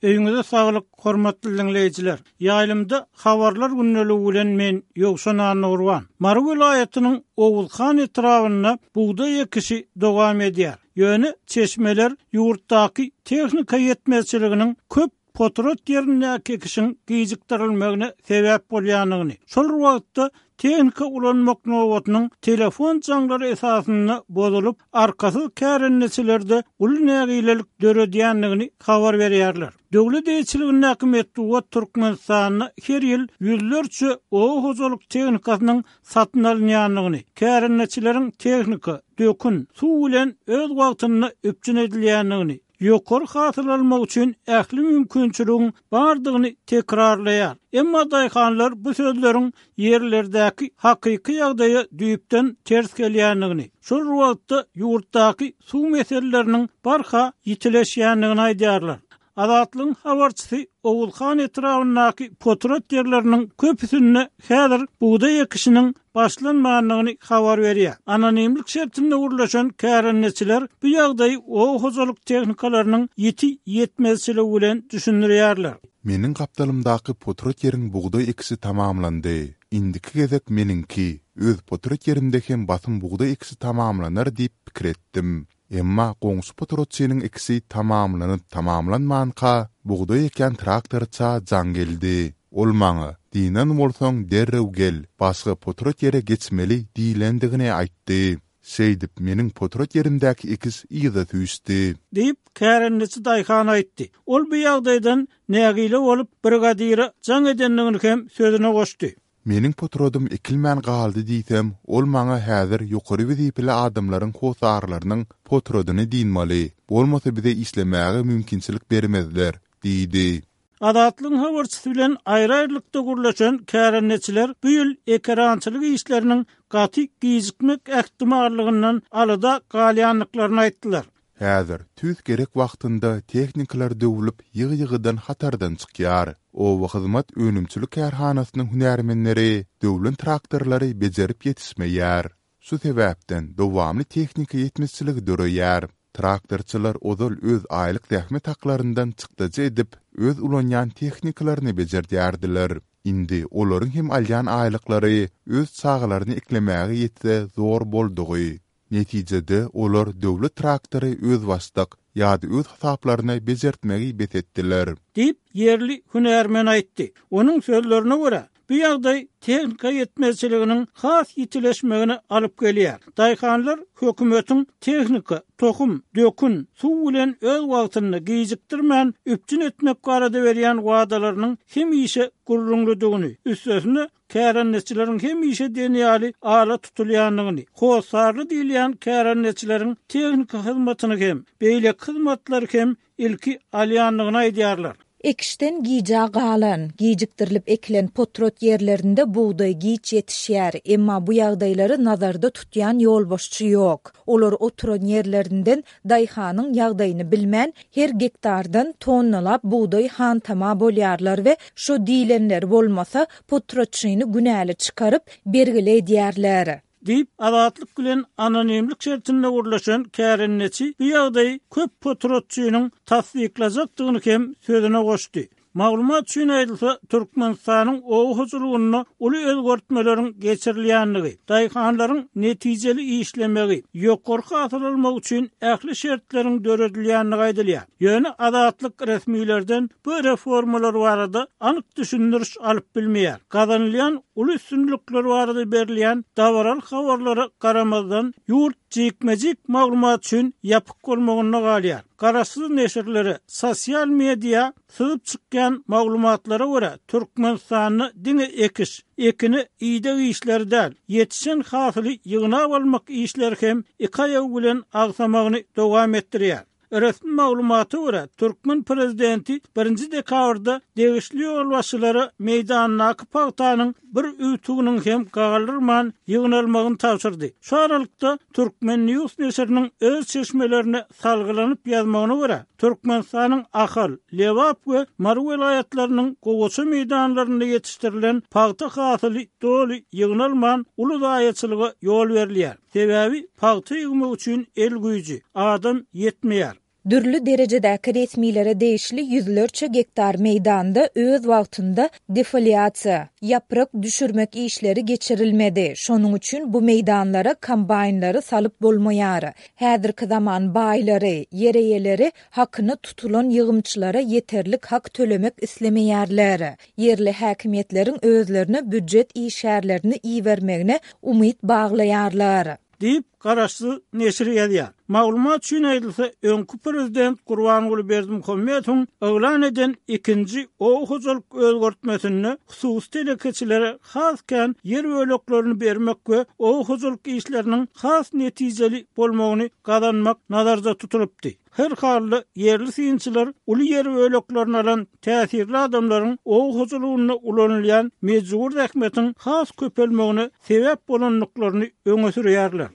Öýüňize saglyk, hormatly diňleýjiler! Ýaýlymda Habarlar gündeligi bilen men, Ýowşan Annagurban. Mary welaýatynyň Oguzhan etrabynda bugdaý ekişi dowam edýär. Ýöne çeşmeler ýurtdaky tehnika ýetmezçiliginiň köp potrat ýerindäki ekişiň gijikdirilmegine sebäp bolýandygyny, şol bir wagtda tehnika ulanmak nobatynyň telefon jaňlary esasynda bozulyp, arkasyz kärendeçilerde uly nägilelik döredýändigini habar berýärler. Döwlet eýeçiligindäki metbugat Türkmenistanda her ýyl ýüzlerçe oba hojalyk tehnikasynyň satyn alynýandygyny, kärendeçileriň tehnika, dökün, suw bilen öz wagtynda üpjün edilýändigini, ýokary hasyl almak üçin ähli mümkinçiligiň bardygyny tekrarlaýar. Emma daýhanlar bu sözleriň ýerlerdäki hakyky ýagdaýa düýpden ters gelýändigini, şol bir wagtda ýurtdaky suw meseleleriniň barha ýitileşýändigini aýdýarlar. Azatlygyň habarçysy Oguzhan etrabyndaky potrat ýerleriniň köpüsinde häzir bugdaý ekişiniň başlanmandygyny habar berýär. Anonimlik şertinde gürleşen kärendeçiler bu ýagdaýy oba hojalyk tehnikalarynyň ýiti ýetmezçiligi bilen düşündirýärler. Meniň gapdalymdaky potrat ýeriň bugdaý ekişi tamamlandy. Indiki gezek meniňki, öz potrat ýerimde hem basym bugdaý ekişi tamamlanar diýip pikir etdim. Emma goňşy potratçynyň ekişi tamamlanyp-tamamlanmanka, bugdaý ekýän traktorça jaň geldi. Ol maňa, Dynan bolsaň, derrew gel, başga potrat ýere geçmeli diýlendigini aýtdy. Şeýdip, meniň potrat ýerimdäki ekiş yza süýşdi. Diýip, kärendeçi daýhan aýtdy. Ol bu ýagdaýdan nägile bolup, brigadire jaň edendigini hem sözüne goşdy. Meniň potradym ekilmän galdy diýsem, ol maňa häzir ýokary wezipeli adamlaryň hossarlarynyň potradyny dynmaly, bolmasa bize işlemäge mümkinçilik bermezler diýdi. Azatlygyň habarçysy bilen aýry-aýrylykda gürleşen kärendeçiler bu ýyl ekerançylyk işleriniň gaty gijikmek ähtimallygyndan alada galýandyklaryny aýtdylar. Häzir, tüýs gerek wagtynda tehnikalar döwlüp, ýygy-ýygydan hatardan çykýar. Obahyzmat önümçilik kärhanasynyň hünärmenleri döwlen traktorlary bejerip ýetişmeýär. Şu sebäpden dowamly tehnika ýetmezçiligi döreýär. Traktorçylar ozal öz aýlyk zähmet haklaryndan çykdajy edip, öz ulanýan tehnikalaryny bejerdýärdiler. Indi olaryň hem alýan aýlyklary öz çagalaryny eklemäge ýetse zor boldugy. Netijede, olar döwlet traktory özbaşdak ýa-da öz hasaplaryna bejertmegi bes etdiler. Diýip, ýerli hünärmen aýtdy. Onuň sözlerine görä, bu ýagdaý tehnika ýetmezçiliginiň has ýitileşmegine alyp gelýär. Daýhanlar hökümetiň tehnika, tohum, dökün, suw bilen öz wagtynda, gijikdirmän üpjün etmek barada berýän wadalarynyň hemişe gürrüňlidigini, üstesine, kärendeçileriň hemişe diýen ýaly ala tutulýandygyny, hossarly diýilýän kärendeçileriň tehniki hyzmatyny hem, beýleki hyzmatlary hem ilki alýandygyny aýdýarlar. Ekişden gijä galan, gijikdirilip ekilen potrat ýerlerinde bugdaý giç ýetişýär, emma bu ýagdaýlary nazarda tutýan ýolbaşçy ýok. Olar oturan ýerlerinden daýhanyň ýagdaýyny bilmän, her gektardan tonnalap bugdaý hantama bolýarlar we şo diýlenleri bolmasa, potratçyny günäli çykaryp, bergili edýärler. Diýip, Azatlyk bilen anonimlik şertinde gürleşen kärendeçi bu ýagdaýy köp potratçynyň tassyklajakdygyny hem sözüne goşdy. Maglumat üçin aýdylsa, Türkmenistanyň oba hojalygynda uly özgertmeleriň geçirilýändigi, daýhanlaryň netijeli işlemegi, ýokary hasyl almagy üçin ähli şertleriň döredilýändigi aýdylýar. Ýöne Azatlyk resmilerden bu reformalar barada anyk düşündiriş alyp bilmeýär. Gazanylýan uly üstünlikler barada berilýän dabaraly habarlara garamazdan, ýurt jikme-jik maglumat üçin ýapyk bolmagynda galýar. Garaşsyz neşirlere, sosial media Syzyp çykýan maglumatlara görä, Türkmenistanda diňe ekiş, ekine ideg işleri däl, ýetişen hasyly ýygnap almak işleri hem iki aýagy bilen agsamagyny dowam etdirýär. Resmi maglumata görä, türkmen prezidenti birinji dekabrda degişli ýolbaşçylara meýdandaky pagtanyň bir öwtüginiň hem galdyrman ýygnalmagyny tabşyrdy. Şu aralykda, Turkmen. News neşiriniň öz çeşmelerine salgylanyp ýazmagyna görä, Türkmenistanyň Ahal, Lebap we Mary welaýatlarynyň gowaça meýdanlarynda ýetişdirilen pagta hasyly doly ýygnalman, uly zaýaçylyga ýol berilýär. Sebäbi pagta ýygmak üçin el güýji, adam ýetmeýär. Dürli derejedäki resmilere degişli ýüzlerçe gektar meýdanda öz wagtynda defoliasiýa, ýaprak düşürmek işleri geçirilmedi, şonuň üçin bu meýdanlara kombaýnlary salyp bolmaýar. Häzirki zaman baýlary, ýer eýeleri hakyna tutulan ýygymçylara ýeterlik hak tölemek islemeýärler. Ýerli häkimiýetleriň özlerine býujet işgärlerini ibermegine umyt baglaýarlar. Diýip, garaşsyz neşiri ýazýar. Maglumat üçin aýdylsa, öňki prezident Gurbanguly Berdimuhamedowyň yglan eden ikinji oba hojalyk özgertmesinde hususy telekeçilere has kän ýer böleklerini bermek we oba hojalyk işleriniň has netijeli bolmagyny gazanmak nazarda tutulypdy. Her halda, ýerli synçylar uly ýer böleklerini alan täsirli adamlaryň oba hojalygynda ulanylýan mejbury zähmetiň has köpelmegine sebäp bolandyklaryny öňe sürýärler.